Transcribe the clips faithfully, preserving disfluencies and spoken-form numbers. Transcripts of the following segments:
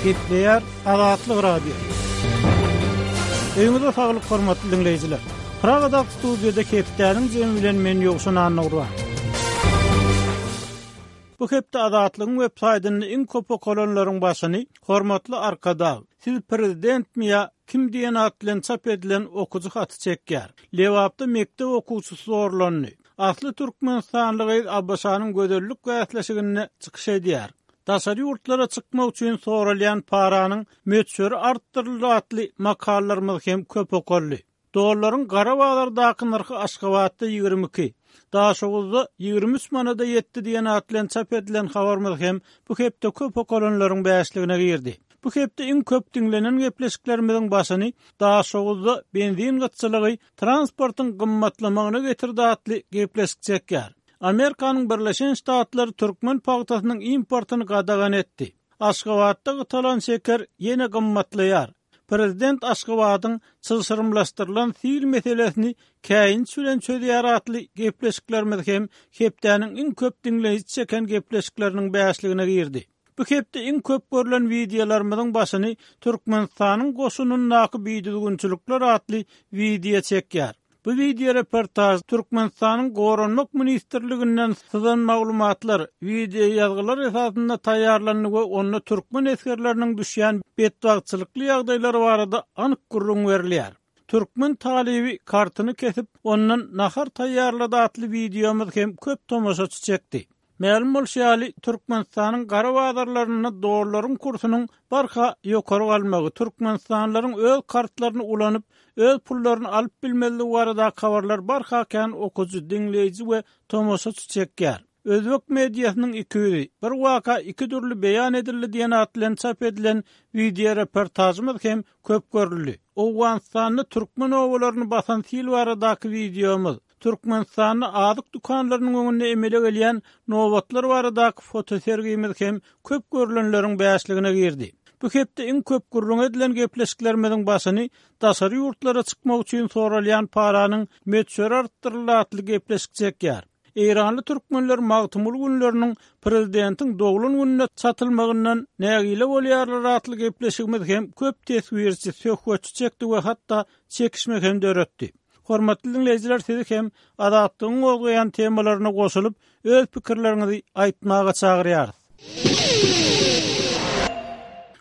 Gepleýär Azatlyk Radiosy. Öýüňize saglyk hormatly diňleýjiler. Pragadaky studiýada hepdäniň jemi bilen men Ýowşan Annagurban. Bu hepde Azatlygyň web saýtynda iň köp okalanlaryň başyny hormatly Arkadag, siz prezidentmi ýa kim diýen at bilen çap edilen okyjy haty çekýär. Lebapda mekdep okuwçysy zorlandy. Asly türkmenistanly gyz ABŞ-nyň gözellik bäsleşiginde çykyş edýär. Daşary ýurtlara çykmak üçin soralýan paranyň möçberi artdyryldy atly makalalarymyz hem köp okaldy. Dollaryň gara bazardaky nyrhy Aşgabatda ýigrimi iki, Daşoguzda ýigrimi üç manada ýetdi diýen at bilen çap edilen habarymyz hem bu hepde köp okalanlaryň bäşligine girdi. Bu hepde iň köp diňlenen gepleşiklerimiziň başyny Daşoguzda benzin gytçylygy transportyň gymmatlamagyna getirdi atly gepleşik çekýär. Amerikanyň Birleşen Ştatlary türkmen pagtasynyň importyny gadagan etdi. Aşgabatda gytalan şeker ýene gymmatlaýar. Prezident Aşgabadyň çylşyrymlaşdyrylan sil meselesini käýinç bilen çözýär atly gepleşiklerimiz hem hepdäniň iň köp diňleýji çeken gepleşikleriniň bäşligine girdi. Bu hepde iň köp görülen wideolarymyzyň başyny Türkmenistanyň goşunyndaky bidüzgünçilikler atly wideo çekýär. Bu wideo reportaj Türkmenistanyň Goranmak Ministrliginden syzan maglumatlar, wideo ýazgylar esasynda taýýarlandy we onda türkmen esgerleriniň düşýän betbagtçylykly ýagdaýlary barada anyk gürrüň berilýär. Türkmen talyby kartyny kesip, ondan nahar taýýarlady atly wideomyz hem köp tomaşaçy çekdi. Mälim bolşy ýaly, Türkmenistanyň gara bazarlarynda dollaryň kursunyň barha ýokary galmagy, türkmenistanlylaryň öz kartlaryny ulanyp, öz pullaryny alyp bilmezligi baradaky habarlar barha kän okyjy, diňleýji we tomaşaçy çekýär. Özbek mediasynyň iki ýüzi, bir waka iki dürli beýan edildi diýen at bilen çap edilen wideo reportajymyz hem köp görüldi. Owganystanda türkmen obalaryny basan sil baradaky wideomyz, Türkmenistanda azyk dükanlarynyň öňünde emele gelýän nobatlar baradaky fotosergimiz hem köp görülenleriň bäşligine girdi. Bu hepde iň köp gürrüň edilen gepleşiklerimiziň başyny daşary ýurtlara çykmak üçin soralýan paranyň möçberi artdyryldy atly gepleşik çekýär. Eýranly türkmenler Magtymguly günleriniň prezidentiň doglan gününe çatylmagyndan nägile bolýarlar atly gepleşigimiz hem köp teswirçi, söhbetçi çekdi we hatda çekişme hem döretdi. Hormatly diňleýjiler, sizi hem Azatlygyň gozgaýan temalaryna goşulyp, öz pikirleriňizi aýtmaga çagyrýarys.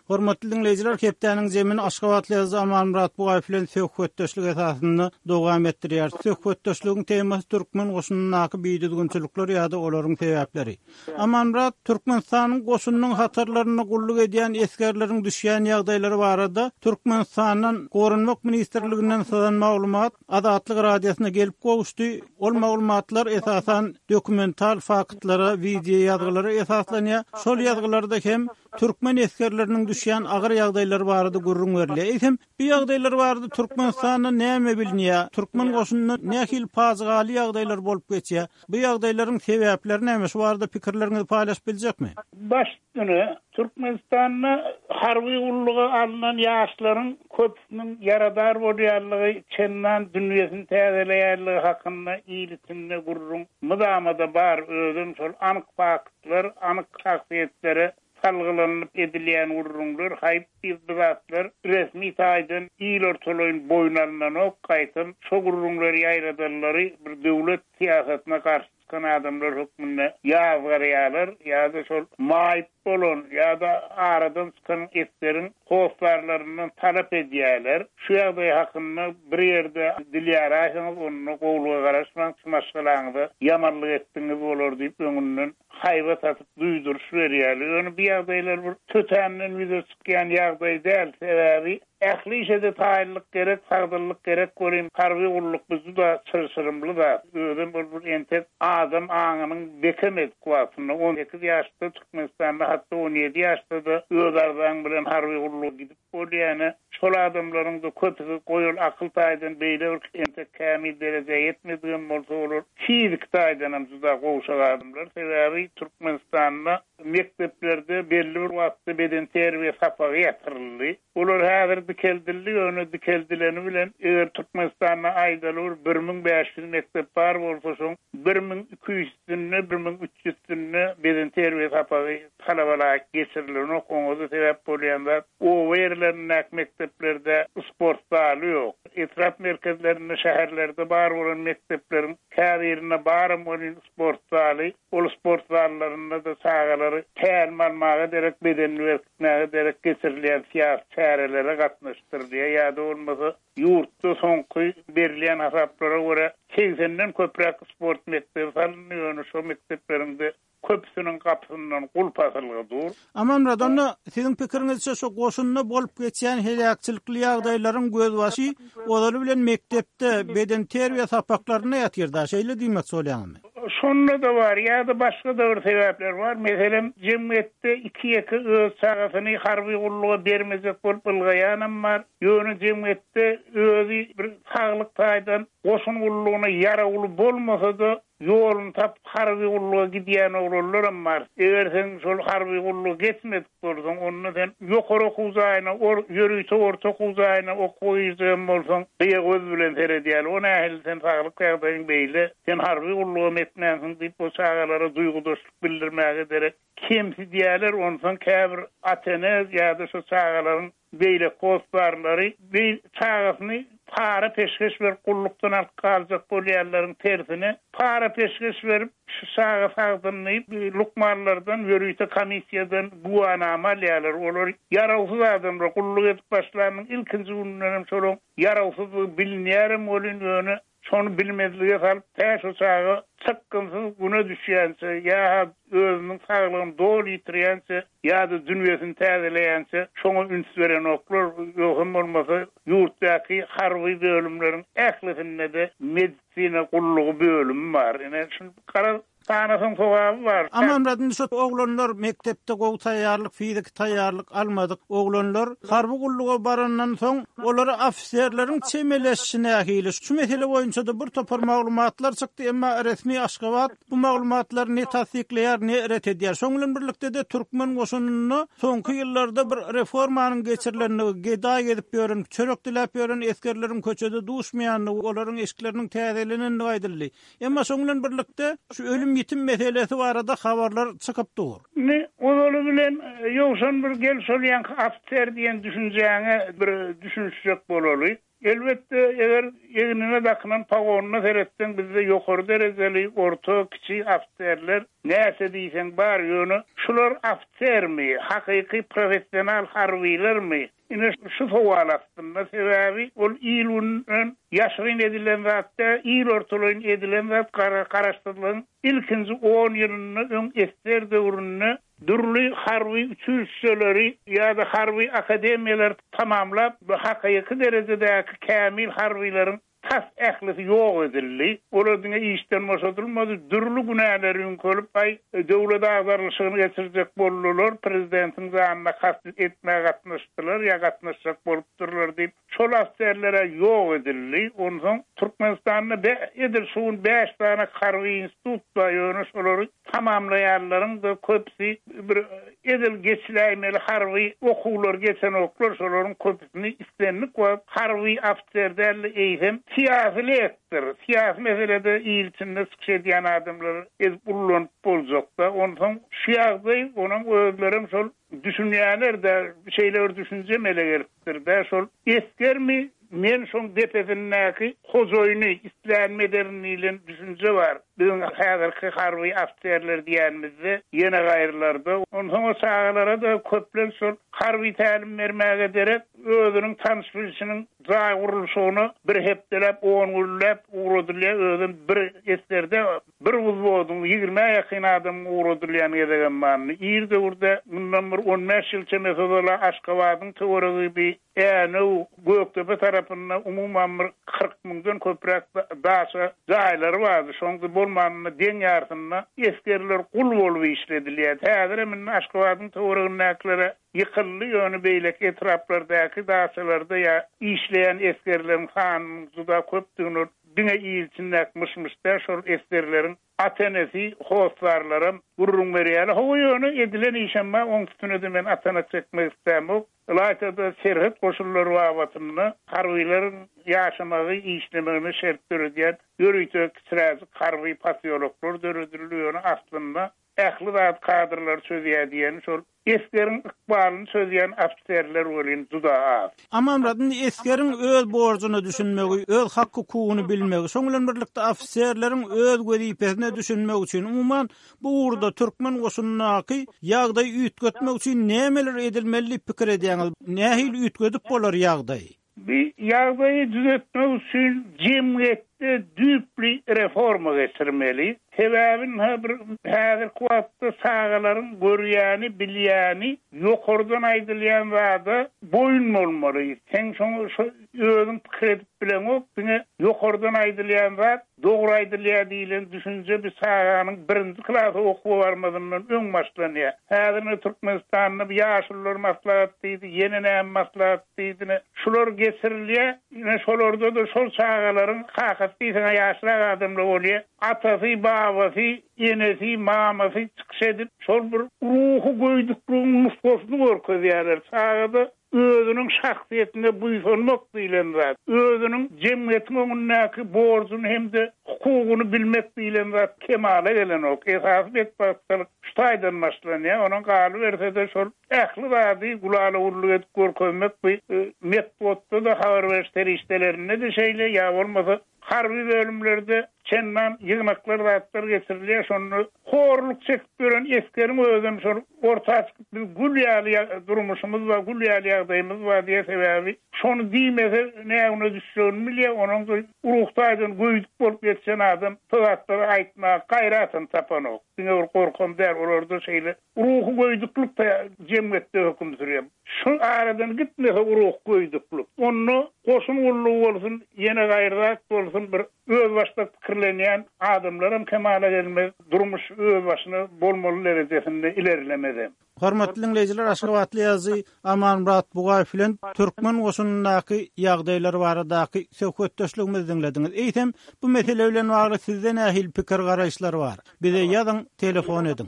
Hormatly diňleýjiler, hepdäniň zemini Aşgabatly ýazyjy Amanmyrat Bugaýew bilen söhbetdeşlik esasynda dowam etdirýär. Söhbetdeşligiň temasy türkmen goşunyndaky bidüzgünçilikler ýa-da olaryň sebäpleri. Amanmyrat, Türkmenistanyň goşunynyň hatarlarynda gulluk edýän esgerleriň düşýän ýagdaýlary barada Türkmenistandan Goranmak Ministrliginden syzan maglumat Azatlyk Radiosyna gelip gowuşdy. Ol maglumatlar esasan dokumental faktlara, wideo ýazgylara esaslanýar. Şol ýazgylarda hem türkmen esgerleriniň düşýän agyr ýagdaýlary barada gürrüň berilýär. Eýsem, bu ýagdaýlar barada Türkmenistanda näme bilinýär? Türkmen goşunynda nähili pajygaly ýagdaýlar bolup geçýär? Bu ýagdaýlaryň sebäpleri näme? Şu barada pikirleriňizi paýlaşyp biljekmi? Baş üstüne Türkmenistanda harby gulluga alynan ýaşlaryň köpüsiniň ýaradar bolýanlygy, çendan dünýesini täzeleýänligi hakynda il içinde gürrüň mydamada bar. Özüm şol anyk faktlar, anyk şahsyýetlere salgylanyp edilýän gürrüňler, haýyp bir zatlar resmi taýdan il ortalaýyn boýun alynanok, gaýtam şo gürrüňleri ýaýradanlary bir döwlet syýasatyna garşy çykan adamlar hökmünde ýazgarýarlar ýa-da şol maýyp bolan ýa-da aradan çykan esgeriň hoslarlaryndan talap edýärler. Şu ýagdaý hakynda bir ýerde dil ýaraýsaňyz, onda gowluga garaşmaň, şu maşgalaňyza ýamanlyk etdiňiz bolar diýip öňünden haýbat atyp duýduryş berýärler. Ýöne bu ýagdaýlar bir tötänden ýüze çykýan ýagdaý däl, sebäbi ähli işe-de taýynlyk gerek, sagdynlyk gerek bolýan harby gulluk bu juda çylşyrymly zat. Özem ol bir entek adam aňynyň bekemedik wagtynda on sekiz ýaşda Türkmenistanda hatda on ýedi ýaşda-da öz arzaň bilen harby gulluga gidip bolýany, şol adamlaryň da köpüsi goýul akyl taýdan beýle bir entek kämil derejä ýetmedigem bolsa olar fiziki taýdan hem juda gowşak adamlar. Sebäbi Türkmenistanda mekdeplerde belli bir wagtda beden terbiýe sapagy ýatyryldy. Olar häzir dikeldildi, ýöne dikeldileni bilen eger Türkmenistanda aýdaly bir bir müň bäş ýüz mekdep bar bolsa, şoň bir müň iki ýüzünde, bir müň üç ýüzünde bedenterbiýe sapagy talaba laýyk geçirilenok. Oňa-da sebäp bolýan zat oba ýerlerindäki mekdeplerde sport zaly ýok. Etrap merkezlerinde, şäherlerde bar bolan mekdepleriň käbirinde baram welin sport zaly, ol sport zallarynda da çagalary tälim almaga derek, bedenini berkitmäge derek geçirilýän syýasy çärelere gatnaşdyrylýar. Ýa-da bolmasa ýurtda soňky berilýän hasaplara görä segsenden köpräk sport mekdebi salyndy, ýöne şo mekdeplerinde köpüsiniň gapysyndan gulp asylgy dur. Amanmyrat, onda siziň pikiriňizçe şo goşunda bolup geçýän heläkçilikli ýagdaýlaryň gözbaşy ozaly bilen mekdepde bedenterbiýe sapaklarynda ýatyr da, şeýle diýmek bolýarmy? Şonda da bar, ýa-da başga da bir sebäpler bar. Meselem, jemgyýetde iki ýeke öz çagasyny harby gulluga bermejek bolup ylgaýanam bar. Ýöne jemgyýetde özi bir saglyk taýdan goşun gullugyna ýarawly bolmasa-da ýoluny tapyp harby gulluga gidýän oglanlaram bar. Eger sen şol harby gulluga geçmedik bolsaň, onda sen ýokary okuw jaýyna, or, ýörite orta okuw jaýyna okuwa girjegem bolsaň, gyýa göz bilen seredýärler. O nähili sen saglyk ýagdaýyň beýle, sen harby gulluga etmänsiň diýip o çagalara duýgudaşlyk bildirmäge derek kemsidýärler. Onsoň käbir ata-ene ýa-da şo çagalaryň beýle hosdarlary bir çagasyny para peşgeş berip gullukdan alyp galjak bolýanlaryň tersine para peşgeş berip şu çaga sagdyn diýip lukmanlardan ýörite komissiýadan güwanama alýarlar. Olar ýarawsyz adamlar gulluk edip başlanyň ilkinji gününden hem şolaryň ýarawsyzlygy bilinýärem welin ýöne şony bilmezlige salyp tä şo çaga çykgynsyz güne düşýänçe ýa özüniň saglygyny doly ýitirýänçe ýa-da dünýesini täzeleýänçe şoňa üns berenoklar. Ýogsam bolmasa ýurtdaky harby bölümleriň ählisinde-de medisina gullugy bölümi bar. Ine şunu garaz sanasyň sogaby bar. Amanmyrat, indi şu oglanlar mekdepde gowy taýýarlyk, fiziki taýýarlyk almadyk oglanlar harby gulluga barandan soň olara ofiserleriň çemeleşişi nähili? Şu mesele boýunça da bir topar maglumatlar çykdy, emma resmi Aşgabat bu maglumatlary ne tassyklaýar, ne ret edýär. Şoň bilen birlikde de türkmen goşunynda soňky ýyllarda bir reformanyň geçirilendigi, gedaý gezip ýören, çörek diläp ýören esgerleriň köçede duşmaýandygy, olaryň eşikleriniň täzelenendigi aýdyldy. Emma şoň bilen birlikde şu ölüm ýitim meselesi barada habarlar çykyp dur. Ne ozaly bilen ýowşan bir gel şol ýanky ofiser diýen düşünjäňe bir düşünişjek bolaly. Elbetde eger egnine dakynan pagonyna seretseň bizde ýokary derejeli orta kiçi ofiserler näçe diýseň bar, ýöne şular ofisermi, hakyky professional harbylarmy? Ine şu sowal aslynda, sebäbi ol il günden ýaşyryn edilen zatda, il ortalaýyn edilen zat garaşsyzlygyň ilkinji on ýylynda öň esger döwründe dürli harby uçilişeleri ýa-da harby akademiýalar tamamlap, bu hakyky derejedäki kämil harbylaryň tas ählisi ýok edildi. Olar diňe işden boşadylmady, dürli günäleri ýüňkelip, aý döwlet agdarlyşygyny geçirjek boldular, prezidentiň janyna kast etmäge gatnaşdylar ýa gatnaşjak bolupdyrlar diýip, şol ofiserlere ýok edildi. Onsoň Türkmenistanda be, edil şu gün bäş tane harby institut bar, ýöne şolary tamamlaýanlaryň da köpüsi bir edil geçiläýmeli harby okuwlar geçenoklar, şolaryň köpüsini islendik wagt harby ofiser däl, eýsem syýasy lektor, syýasy meselede il içinde çykyş edýän adamlar ezip ullanyp boljakda. Onsoň şu ýagdaý onuň özlerem şol düşünýärler de şeýle bir düşünje mele gelipdir de, şol esgermi men şoň depesindäki hojaýyny islänme ederin diýlen düşünje bar. Biziň häzirki harby ofiserler diýenimizde ýene gaýrylarda, onsoň o çagalara da köplenç şol harby tälim bermäge derek özüniň tanyş bilişiniň jaý gurluşygyna bir hepdeläp, on günläp ugradylýar, özüm bir esgerde bir uzbodyň ýigrimi ýakyn adamyň ugradylýan gezegem barny. Ir döwürde mundan bir on bäş ýyl çemesi ozal Aşgabadyň töweregi bir Änew Gökdepe tarapynda umuman bir kyrk müňden köpräk daşa jaýlary bardy. Şoňda bolmanynda deň ýarysynda esgerler gul bolup işledilýär. Häzir hem indi Aşgabadyň töweregindäkilere ýykyldy, ýöne beýleki etraplardaky daşalarda ýa işleýän esgerleriň sanynyň juda köpdügini diňe il içindäki myş-myş däl, şol esgerleriň ata-enesi, hossarlaram gürrüň berýärler. Hawa, ýöne edilen işem bar, oň üstüne-de men atana çekmek islämok. Ylaýta-da serhet goşunlary babatynda harbylaryň ýaşamagy, işlemegine şert döredýän ýörite kiçiräjik harby posýoloklar döredildi, ýöne aslynda ähli zat kadrlary çözýär diýeni şol esgeriň ykbalyny çözýän ofiserler welin juda az. Amanmyrat, indi esgeriň öz borjuna düşünmegi, öz hak-hukugyny bilmegi, şoň bilen birlikde ofiserleriň öz wezipesine düşünmegi üçin, umuman, bu ugurda türkmen goşunyndaky ýagdaýy üýtgetmek üçin nämeler edilmeli diýip pikir edýäňiz? Nähili üýtgedip bolar ýagdaýy? Bir ýagdaýy düzetmek üçin jemgyýetde düýpli reforma geçirmeli. Sebäbi ynha bir häzirki wagtda çagalaryň görýäni, bilýäni ýokardan aýdylýan zada boýun bolmaly. Sen şoňa şo özüň pikir edip bileňok, diňe ýokardan aýdylýan zat dogry aýdylýar diýlen düşünje bir çaganyň birinji klasa okuwa barmazyndan öň başlanýar. Häzir ine Türkmenistanda bir ýaşulular maslahat diýdi, ýene näme maslahat diýdi, ine şular geçirilýär, ine şolarda-da şol çagalaryň kakasy diýseň ýaşrak adamlar bolýar. Atasy, babasy, enesi, mamasy çykyş edip, şol bir ruhy göýdükligiň nusgasyny görkezýärler. Çagada özüniň şahsyýetine buýsanmak diýlen zat, özüniň jemgyýetiň öňündäki borjuny hem-de hukugyny bilmek diýlen zat kemala gelenok. Esasy betbagtçylyk şu taýdan başlanýar. Onuň galyberse-de şol ähli zady gulala-gulluk edip görkezmek bu, e, metbugatda-da habar beriş serişdelerinde-de şeýle, ýa bolmasa harby bölümlerde çendan ýygnaklar zatlar geçirilýär. Şonda horluk çekip ýören esgeriň özem şol orta çykyp biz gül ýaly ýa-, durmuşymyz bar, gül ýaly ýagdaýymyz bar diýe, sebäbi şony diýmese nägüne düşjegini bilýär. Onuň da ruh taýdan göýdük bolup ýetişen adam şo zatlary aýtmaga gaýratyny tapanok. Diňe bir gorkam däl, olarda şeýle ruhy göýdüklük de jemgyýetde höküm sürýär. Şu aradan gitmese ruh göýdüklük, onda goşun gullugy bolsun, ýene gaýry zat bolsun, bir özbaşdak pikirlenýän adamlaram kemala gelmez, durmuş özbaşyna bolmaly derejesinde ilerlemez. Hormatly dinleýjiler, Aşgabatly ýazyjy Amanmyrat Bugaýew bilen türkmen goşunyndaky ýagdaýlar baradaky söhbetdeşligimizi diňlediňiz. Eýsem, bu mesele bilen bagly sizde nähili pikir garaýyşlar bar? Bize ýazyň, telefon ediň.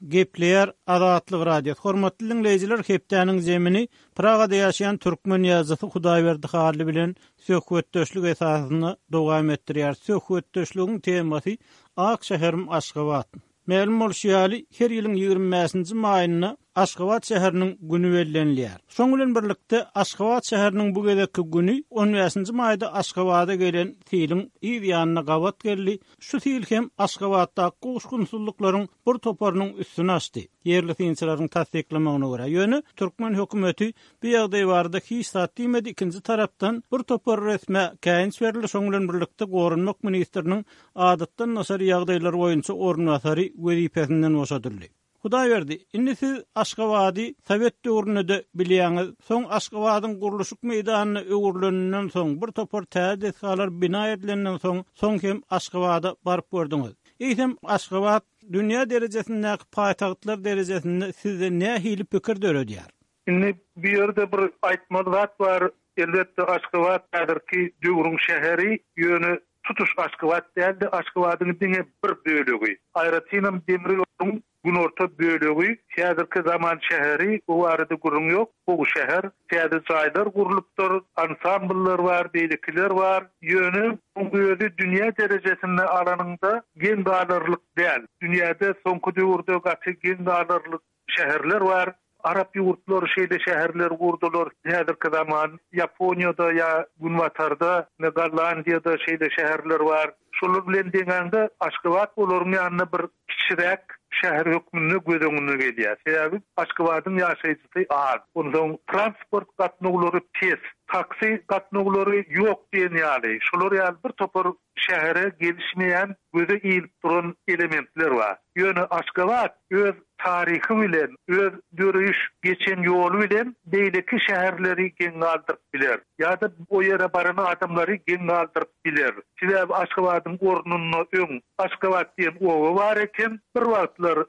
Gepleýär Azatlyk Radiosy. Hormatly dinleýjiler, hepdäniň zemini Pragada ýaşaýan türkmen ýazyjysy Hudaýberdi Hally bilen söhbetdeşlik esasynda dowam etdirýär. Söhbetdeşligiň temasy Ak şäherim Aşgabat. Mälim bolşy ýaly, her ýylyň ýigrimi bäşinji maýynda Aşgabat şäheriniň güni bellenilýär. Şoň bilen birlikde Aşgabat şäheriniň bu gezekki güni on bäşinji maýda Aşgabada gelen siliň yz ýanyna gabat geldi. Şu sil hem Aşgabatdaky gowuşgynsyzlyklaryň bir toparynyň üstüni açdy. Ýerli synçylaryň tassyklamagyna görä, ýöne türkmen hökümeti bu ýagdaý barada hiç zat diýmedi. Ikinji tarapdan bir topar resme käýinç berildi. Şoň bilen birlikde Goranmak ministriniň adatdan daşary ýagdaýlar boýunça orunbasary wezipesinden boşadyldy. Hudaýberdi, indi siz Aşgabady Sowet döwründe-de bilýäňiz, soň Aşgabadyň gurluşyk meýdanyna öwrüleninden soň, bir topar täze desgalar bina edilenden soň, soň hem Aşgabada baryp gördüňiz. Eýsem, Aşgabat dünýä derejesindäki paýtagtlar derejesinde sizde nähili pikir döredýär? Indi bu ýerde bir aýtmaly zat bar. Elbetde Aşgabat häzirki döwrüň şäheri, ýöne tutuş Aşgabat däldi, Aşgabadyň diňe bir bölegi. Aýratynam demir ýoluň günorta bölegi häzirki zaman şäheri, bu barada gürrüň ýok. Bu şäher täze jaýlar gurlupdyr, ansambllar bar, beýlekiler bar. Ýöne bu özi dünýä derejesinde alanyňda geň galarlyk däl. Dünýäde soňky döwürde gaty geň galarlyk şäherler bar. Arap ýurtlary şeýle şäherler gurdular. Häzirki zaman Ýaponiýada ýa Günbatarda, ne Gollandiýada şeýle şäherler bar. Şolar bilen deňäňde Aşgabat olaryň ýanynda bir kiçiräk şäher hökmünde göz öňüne gelýär. Sebäbi Aşgabadyň ýaşaýjysy az. Ondan transport gatnawlary pes, taksi gatnawlary ýok diýen ýaly. Şolar ýaly bir topar şähere gelişmeýän, göze ilip duran elementler bar. Ýöne Aşgabat öz taryhy bilen, öz döreýiş geçen ýoly bilen beýleki şäherleri geň galdyryp biler. Ýa-da o ýere baran adamlary geň galdyryp biler. Sebäbi Aşgabadyň ornunda öň Aşgabat diýen oba bar eken, bir wagtlar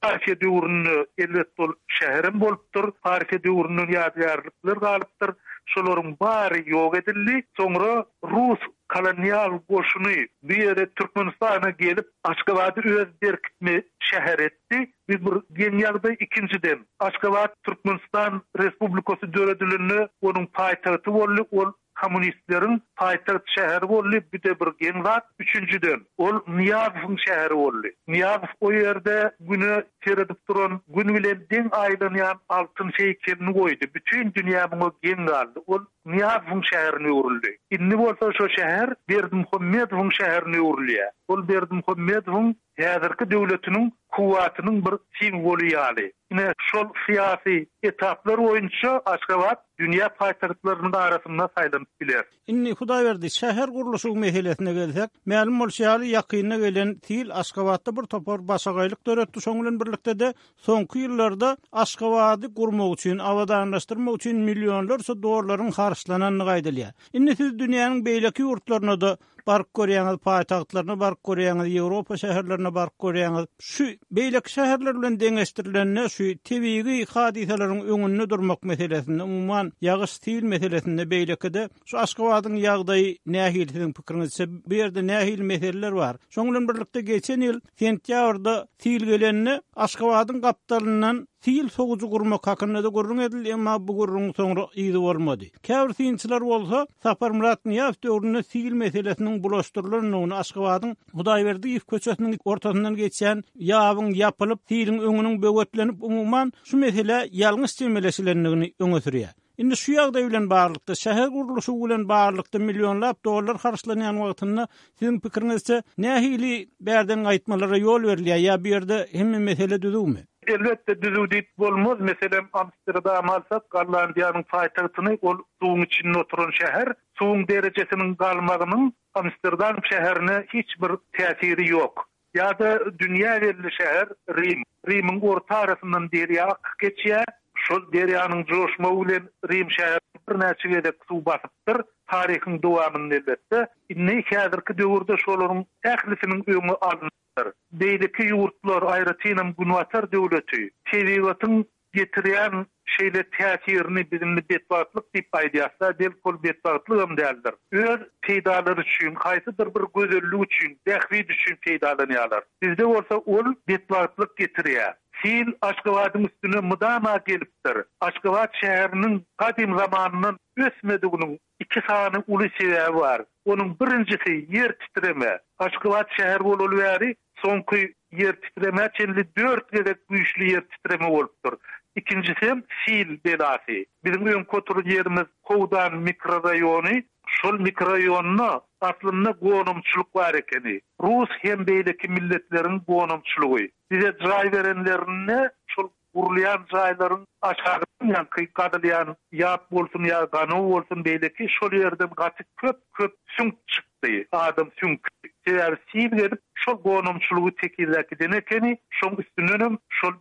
Parfiýa döwründe elbetde ol şäherem bolupdyr. Parfiýa döwründen ýadygärlikler galypdyr. Şolaryň bary ýok edildi. Soňra Rus kolonial goşuny bu ýere Türkmenistana gelip Aşgabady öz berkitme şäher etdi. Bir bir geň ýagdaý ikinjiden Aşgabat Türkmenistan Respublikasy döredilende onuň paýtagty boldy. Ol kommunistleriň paýtagt şäheri boldy. Bir de bir geň zat. Üçünjiden ol Nyýazowyň şäheri boldy. Nyýazow o ýerde güne seredip duran, gün bilen deň aýlanýan altyn heýkelini goýdy. Bütün dünýä muňa geň galdy. Ol Nyýazowyň şäherine öwrüldi. Indi bolsa şo şäher Berdimuhamedowyň şäherine öwrülýär. Ol Berdimuhamedowyň häzirki döwletiniň kuwwatynyň bir simwoly ýaly. Ine şol syýasy etaplar boýunça Aşgabat dünýä paýtagtlarynyň arasynda saýlanyp biler. Indi Hudaýberdi şäher gurluşygy meselesine gelsek, mälim bolşy ýaly ýakynda gelen sil Aşgabatda bir topar başagaýlyk döretdi. Şoň bilen birlikde de soňky ýyllarda Aşgabady gurmak üçin, abadanlaşdyrmak üçin millionlarça dollaryň harçlanandygy aýdylýar. Indi siz dünýäniň beýleki ýurtlaryna da baryp görýäňiz, paýtagtlaryna baryp görýäňiz, Ýewropa şäherlerine baryp görýäňiz. Şu beýleki şäherler bilen deňeşdirilende şu tebigy hadysalaryň öňünde durmak meselesinde, umuman ýagyş sil meselesinde beýleki-de şu Aşgabadyň ýagdaýy nähili siziň pikiriňizçe bu ýerde nähili meseleler bar? Şoň bilen birlikde geçen ýyl sentýabrda sil gelende Aşgabadyň gapdalyndan sil sowujy gurmak hakynda da gürrüň edildi, emma bu gürrüň soňra yzy bolmady. Käbir synçylar bolsa Saparmyrat Nyýazow döwründe sil meselesiniň bulaşdyrylandygyny Aşgabadyň Hudaýberdiýew köçesiniň ortasyndan geçýän ýabyň ýapylyp, siliň öňüniň böwetlenip, umuman şu mesele ýalňyş çemeleşilendigini öňe sürýär. Indi şu ýagdaý bilen barlykda, şäher gurluşygy bilen barlykda millionlap dollar harçlanýan wagtynda siziň pikiriňizçe nähili bärden gaýtmalara ýol berilýär ýa bu ýerde hemme mesele düzüwmi? Elbetde düzüw diýip bolmaz. Meselem Amsterdam alsak, Gollandiýanyň paýtagtyny ol suwuň içinde oturan şäher, suwuň derejesiniň galmagynyň Amsterdam şäherine hiç bir täsiri ýok. Ýa-da dünýä belli şäher Rim. Rimiň orta arasyndan derýa akyp geçýär. Şol derýanyň joşmagy bilen Rim şäheri birnäçe gezek suw basypdyr. Taryhyň dowamynda elbetde. Indi häzirki döwürde şolaryň ählisiniň öňi alyndyr. Beýleki ýurtlar, aýratynam Günbatar döwleti, tebigatyň getirýän şeýle täsirini bizimli betbagtlyk diýip aýdýarsa, belki ol betbagtlygam däldir. Öz peýdalary üçin, haýsydyr bir gözellik üçin, bähbit üçin peýdalanýarlar. Bizde bolsa ol betbagtlyk getirýär. Sil Aşgabadyň üstüne mydama gelipdir. Aşgabat şäheriniň gadym zamanyndan ösmediginiň iki sany uly sebäbi bar. Onuň birinjisi ýer titreme. Aşgabat şäher bolaly bäri soňky ýer titreme çenli dört gezek güýçli ýer titreme bolupdyr. Ikincisi hem sil belasy. Bizim öňki oturan ýerimiz Howdan mikrorayony. Şol mikrorayonda aslynda gonamçylyk bar ekeni. Rus hem beýleki milletleriň gonamçylygy. Bize jaý berenlerinde şol gurulýan jaýlaryň aşagydan ýaňky gadylýan ýap bolsun ýa ganaw bolsun beýleki şol ýerden gaty köp köp süňk çykdy. Adam süňki. Sebäbi sil gelip şol gonamçylygy tekizläp giden ekeni, şoň üstündenem şol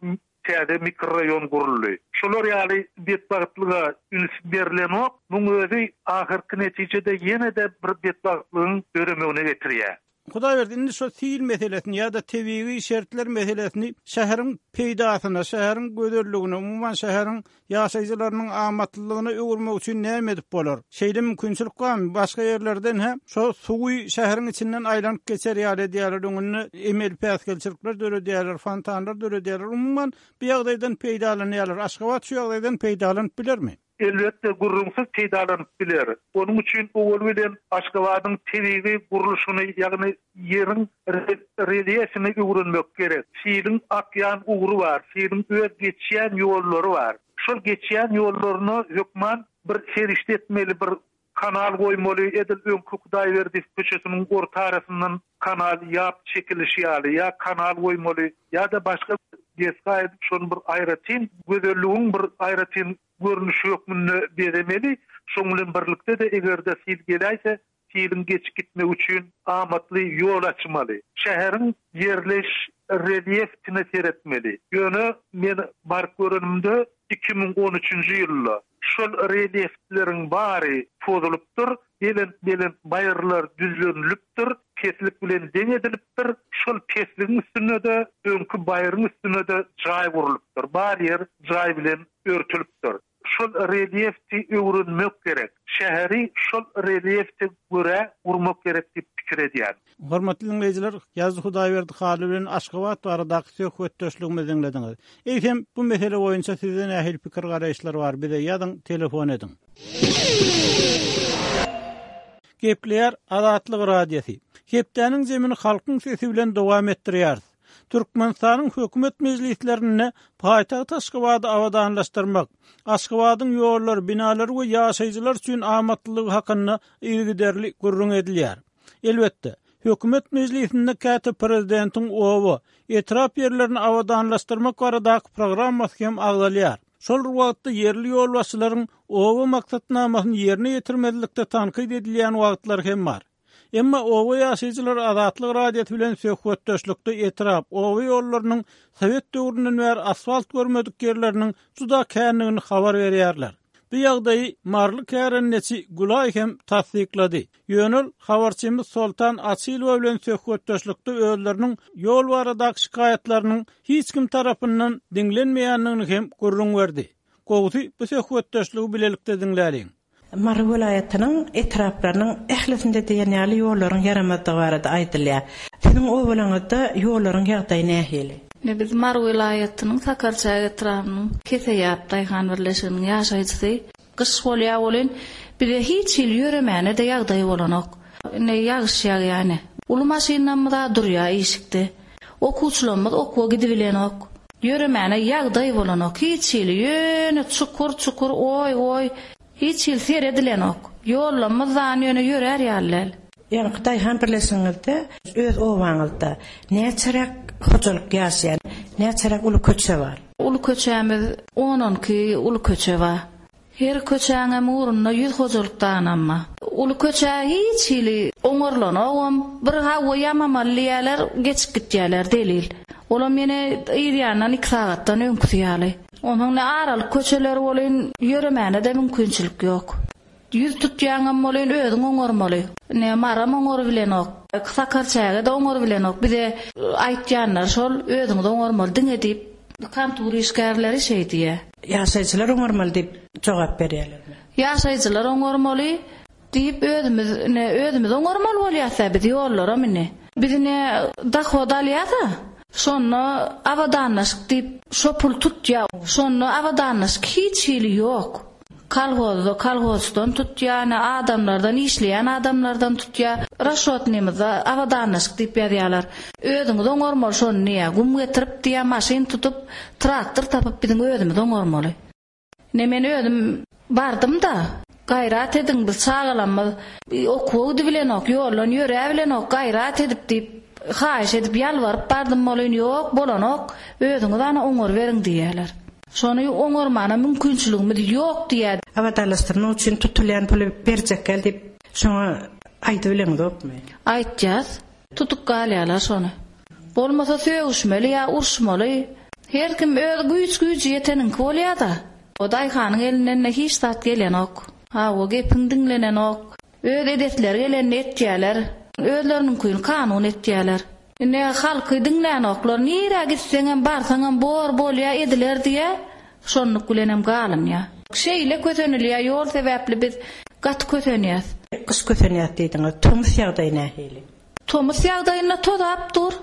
täze mikrorayon guruldy. Şolar ýaly betbagtlyga üns berilenok, muň özi ahyrky netijede ýene-de bir betbagtlygyň döremegine getirýär. Hudaýberdi, indi şu sil meselesini ýa-da tebigy şertler meselesini şäheriň peýdasyna, şäheriň gözelligine, umuman şäheriň ýaşaýjylarynyň amatlylygyna öwürmek üçin näme edip bolar? Şeýle mümkinçilik barmy? Başga ýerlerden hem şu suwy şäheriň içinden aýlanyp geçer ýaly edýärler, öňünde emel päsgelçilikler döredýärler, fontanlar döredýärler. Umuman bu ýagdaýdan peýdalanýarlar. Aşgabat şu ýagdaýdan peýdalanyp bilermi? Elbetde gurrumsyz peýdalanyp biler. Onuň üçin owal bilen Aşgabadyň tebigy gurluşyny, ýagny ýeriň relýefini öwrenmek gerek. Siliň akýan ugry bar, siliň öz geçýän ýollary bar. Şol geçýän ýollaryna hökman bir serişde etmeli, bir kanal goýmaly, edil öňki Hudaýberdi köçesiniň orta arasyndan kanal ýap çekilişi ýaly, ýa kanal goýmaly, ýa-da başga desga edip şonu bir aýratyn gözelligiň bir aýratyn görnüşi hökmünde bezemeli. Şoň bilen birlikde de eger-de sil geläýse, siliň geçip gitmek üçin amatly ýol açmaly. Şäheriň ýerleş relýefine seretmeli. Ýöne men baryp görenimde iki müň on üçünji ýylda şol relýefleriň bary pozulypdyr, belent-belent baýyrlar düzlenilipdir, peslik bilen deň edilipdir. Şol pesligiň üstünde de, öňki baýryň üstünde de jaý gurlupdyr. Bar ýer jaý bilen örtülipdir. Şol relýefti öwrenmek gerek. Şäheri şol relýefte görä gurmak gerek diýip pikir edýän. Hormatly dinleýjiler, Ýazdy Hudaýberdi Hally bilen Aşgabat baradaky söhbetdeşligimizi diňlediňiz. Eýsem, bu mesele boýunça sizde nähili pikir garaýyşlar bar? Bize ýazyň, telefon ediň. Gepleýär Azatlyk Radiosy. Hepdäniň zemini halkyň sesi bilen dowam etdirýär. Türkmenistanyň hökümet mejlislerinde paýtagt Aşgabady abadanlaşdyrmak, Aşgabadyň ýollary, binalary we ýaşaýjylar üçin amatlylygy hakynda yzygiderli gürrüň edilýär. Elbetde, hökümet mejlisinde käte prezidentiň oba, etrap ýerlerini abadanlaşdyrmak baradaky programmasy hem agzalýar. Şol wagtda ýerli ýolbaşçylaryň oba maksatnamasyny ýerine ýetirmezlikde tankyt edilýän wagtlar hem bar. Emma oba ýaşaýjylary Azatlyk Radiosy bilen söhbetdeşlikde etrap, oba ýollarynyň Sowet döwründen bäri asfalt görmedik ýerleriniň juda kändigini habar berýärler. Bu ýagdaýy Marly kärendeçi Gulaý hem tassyklady. Ýöne ol habarçymyz Soltan Açylowa bilen söhbetdeşlikde özleriniň ýol baradaky şikaýatlarynyň hiç kim tarapyndan diňlenmeýändigini hem gürrüň berdi. Gowusy bu söhbetdeşligi bilelikde diňläliň. Mary welaýatynyň etraplarynyň ählisinde diýen ýaly ýollaryň ýaramazdygy barada aýdylýar. Siziň obalaryňyzda ýollaryň ýagdaýy nähili? Ne biz Mary welaýatynyň Sakarçäge etrabynyň Keseýap daýhan birleşiginiň ýaşaýjysy. Gyş bolýar bolun, bize hiç hil ýöremäne-de ýagdaý bolanok. Ine ýagyş ýagýany. Uly maşynamyz da durýar işikde. Okuwçylarymyz okuwa gidibilenok. Ýöremäne ýagdaý bolanok. Hiç hil ýöne çukur çukur oý oý. Hiç hil seredilenok. Ýollamyz dan ýöne ýörer ýaly. Ýaňky daýhan birleşigiňizde öz obaňyzda näçeräk hojalyk ýaşaýan, näçeräk uly köçe bar? Uly köçämiz on on iki uly köçe bar. Her köçäňem ugrunda ýüz hojalyk danamma. Uly köçe hiç hili oňarlanogam, bir hawa ýamamaly diýerler, geçip gitýärler delil. Olam ýene ýerýandan iki sagatdan öňküsi ýaly. Onuň ne aralyk köçeleri bolun, ýöremäne-de mümkinçilik ýok. Ýüz tutýaňam bolun, özüň oňarmaly. Ne maram oňar bilenok, Sakarçäge-de oňar bilenok. Bize aýtýanlar şol özüňiz oňarmaly diňe diýip, kontur işgärleri şeý diýe. Ýaşaýjylar oňarmaly diýip jogap berýärler. Ýaşaýjylar oňarmaly diýip özümiz ne özümiz oňarmaly bolýarsa biz ýollara mine. Biz ne dahod alýarsa, şonda abadanlaşyk diýip şo pul tutýar. Şonda abadanlaşyk hiç hili ýok. Kolhozda, kolhozdan tutýar, ne adamlardan, işleýän adamlardan tutýar. Raşotnymyzda abadanlaşyk diýip ýazýarlar. Özüňiz oňarmaly şony diýýär. Gum getirip diýýär, maşyn tutup, traktor tapyp biziň özümiz oňarmaly. Ne men özüm bardym da, gaýrat ediň biz çagalarymyz okuwa gidibilenok, ýoldan ýöre bilenok, gaýrat edip diýip, haýyş edip ýalbaryp bardym bolun, ýok, bolanok, özüňiz ana oňar beriň diýýärler. Şony oňarmana mümkinçiligimiz ýok diýýär. Abadanlaşdyrmak üçin tutulýan puly berjek gel diýip, şoňa aýdyp bileňizokmy? Aýtýas, tutup galýarlar şony. Bolmasa sögüşmeli ýa uruşmaly. Her kim öz güýç-güýji ýeteniňki bolýar-da. O daýhanyň elinden de hiç zat gelenok. Ha, o gepiň diňlenenok. Öz edetleri gelenini etýärler. Özleriniňkini kanun etýärler. Ine halky diňlänoklar, nirä gitseňem barsaňam bor bolýa ediler diýe, şonluk bilenem galynýar. Şeýle kösenilýär, ýol sebäpli biz gaty kösenýäs. Gyş kösenýär diýdiňiz. Tomus ýagdaýy nähili? Tomus ýagdaýynda tozap dur.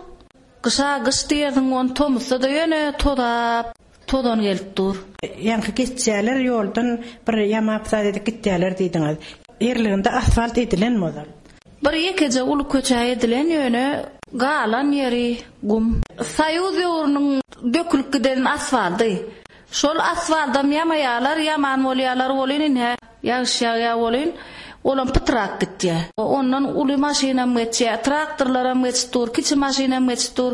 Gyşa gyş diýersiň, on tomusda da ýöne tozap, tozan gelip dur. Ýaňky geçýärler ýoldan bir ýamap zat edip gitýärler diýdiňiz. Ýerliginde asfalt edilen ozal? Bir ýekeje uly köçe edilen ýöne galan ýeri gum. Soýuz döwrüniň dökülip giden asfalty. Şol asfaltam ýamaýarlar, ýaman bolýarlar bolun ine, ýagyş ýagýar bolun, olam pytrak gitýär. Ondan uly maşynam geçýär, traktorlaram geçip dur, kiçi maşynam geçip dur.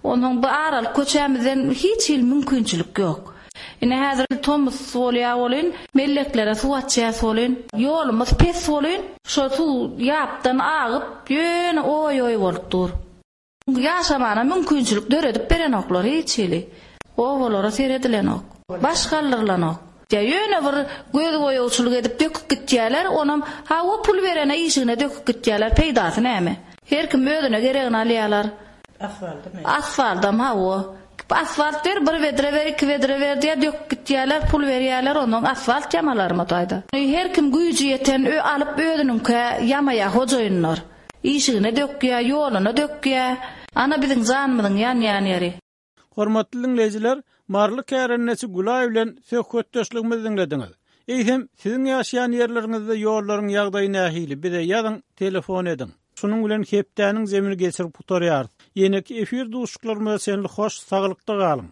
Onuň bu aralyk köçämizden hiç hil mümkinçilik ýok. Ine häzir tomus bolýar bolun, melleklere suw açýar bolun, ýolumyz pes bolun, şo suw ýapdan agyp, ýöne oý-oý bolup dur. Ýaşamana mümkinçilik döredip berenoklar hiç hili. Obalara seredilenok, baş galdyrylanok. Ýa ýöne bir göz boýawçylyk edip döküp gitýärler, onam ha o pul berene işigine döküp gitýärler, peýdasy näme? Her kim özüne geregini alýarlar. Asfaltmy? Asfaltam ha o. Asfalt ber, bir bedre ber, iki bedre ber diýýär, döküp gitýärler, pul berýärler, ondan asfalt ýamalarmy taýda. Her kim güýji ýeten ö alyp özüniňkä ýamaýar hojaýynlar. Işigine dökýär, ýoluna dökýär. Ana biziň janymyzyň ýanýan ýeri. Hormatly diňleýjiler, Maryly kärendeçi Gülaý bilen söhbetdeşligimizi diňlediňiz. Eýsem, siziň ýaşaýan ýerleriňizde ýollaryň ýagdaýy nähili? Bize ýazyň, telefon ediň. Şunuň bilen hepdäniň zemini geçirip gutarýarys. Ýeneki efir duşuşyklarymyza çenli hoş saglykda galyň.